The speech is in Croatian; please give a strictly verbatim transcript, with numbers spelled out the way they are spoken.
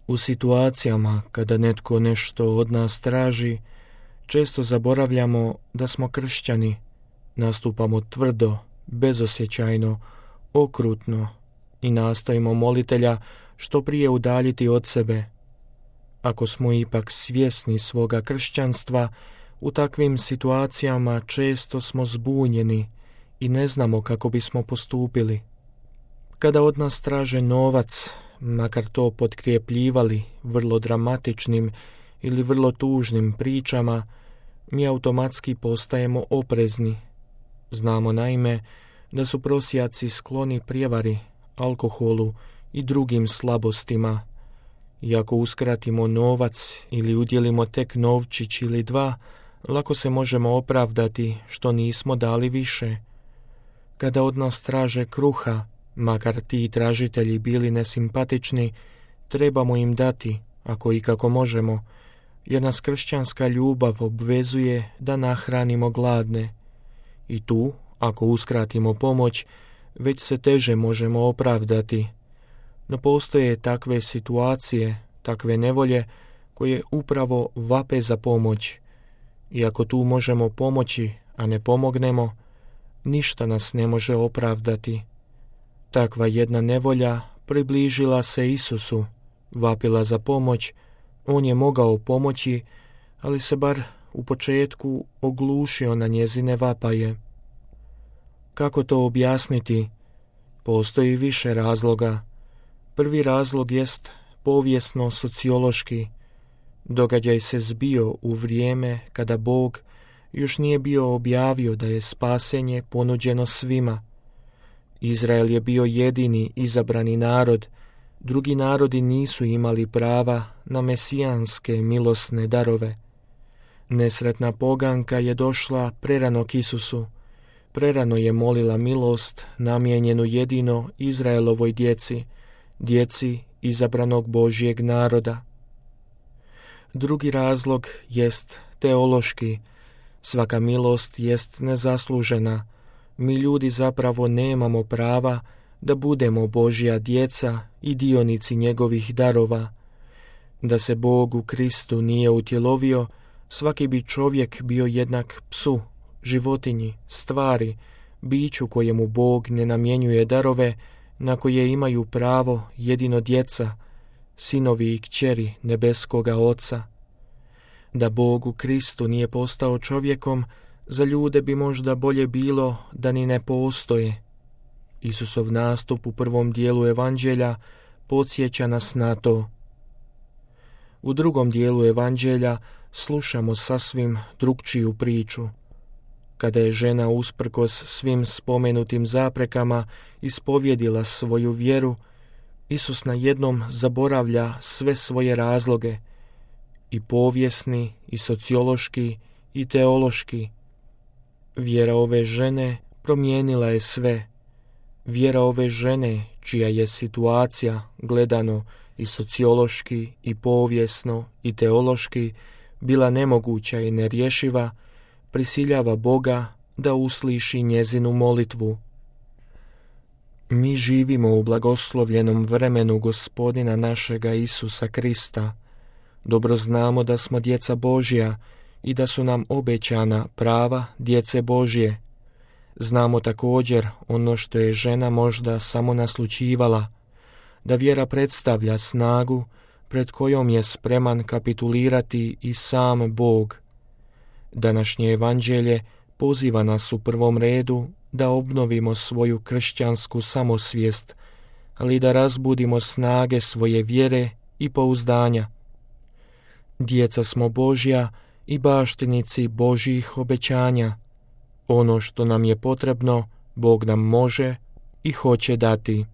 U situacijama kada netko nešto od nas traži, često zaboravljamo da smo kršćani, nastupamo tvrdo, bezosjećajno, okrutno i nastojimo molitelja što prije udaljiti od sebe. Ako smo ipak svjesni svoga kršćanstva, u takvim situacijama često smo zbunjeni i ne znamo kako bismo postupili. Kada od nas traže novac, makar to potkrijepljivali vrlo dramatičnim ili vrlo tužnim pričama, mi automatski postajemo oprezni. Znamo naime da su prosjaci skloni prijevari, alkoholu i drugim slabostima. I ako uskratimo novac ili udjelimo tek novčić ili dva, lako se možemo opravdati što nismo dali više. Kada od nas traže kruha, makar ti tražitelji bili nesimpatični, trebamo im dati, ako i kako možemo, jer nas kršćanska ljubav obvezuje da nahranimo gladne. I tu, ako uskratimo pomoć, već se teže možemo opravdati. No postoje takve situacije, takve nevolje, koje upravo vape za pomoć. I ako tu možemo pomoći, a ne pomognemo, ništa nas ne može opravdati. Takva jedna nevolja približila se Isusu, vapila za pomoć, on je mogao pomoći, ali se bar u početku oglušio na njezine vapaje. Kako to objasniti? Postoji više razloga. Prvi razlog jest povijesno-sociološki. Događaj se zbio u vrijeme kada Bog još nije bio objavio da je spasenje ponuđeno svima. Izrael je bio jedini izabrani narod, drugi narodi nisu imali prava na mesijanske milosne darove. Nesretna poganka je došla prerano k Isusu, prerano je molila milost namijenjenu jedino Izraelovoj djeci, djeci izabranog Božjeg naroda. Drugi razlog jest teološki. Svaka milost jest nezaslužena. Mi ljudi zapravo nemamo prava da budemo Božja djeca i dionici njegovih darova. Da se Bog u Kristu nije utjelovio, svaki bi čovjek bio jednak psu, životinji, stvari, biću kojemu Bog ne namjenjuje darove na koje imaju pravo jedino djeca, sinovi i kćeri nebeskoga Oca. Da Bog u Kristu nije postao čovjekom, za ljude bi možda bolje bilo da ni ne postoje. Isusov nastup u prvom dijelu evanđelja podsjeća nas na to. U drugom dijelu evanđelja slušamo sasvim drukčiju priču. Kada je žena usprkos svim spomenutim zaprekama ispovjedila svoju vjeru, Isus najednom zaboravlja sve svoje razloge, i povijesni, i sociološki, i teološki. Vjera ove žene promijenila je sve. Vjera ove žene, čija je situacija gledano i sociološki, i povijesno, i teološki bila nemoguća i nerješiva, prisiljava Boga da usliši njezinu molitvu. Mi živimo u blagoslovljenom vremenu Gospodina našega Isusa Krista. Dobro znamo da smo djeca Božja i da su nam obećana prava djece Božje. Znamo također ono što je žena možda samo naslućivala, da vjera predstavlja snagu pred kojom je spreman kapitulirati i sam Bog. Današnje evanđelje poziva nas u prvom redu da obnovimo svoju kršćansku samosvijest, ali da razbudimo snage svoje vjere i pouzdanja. Djeca smo Božja i baštinici Božjih obećanja. Ono što nam je potrebno, Bog nam može i hoće dati.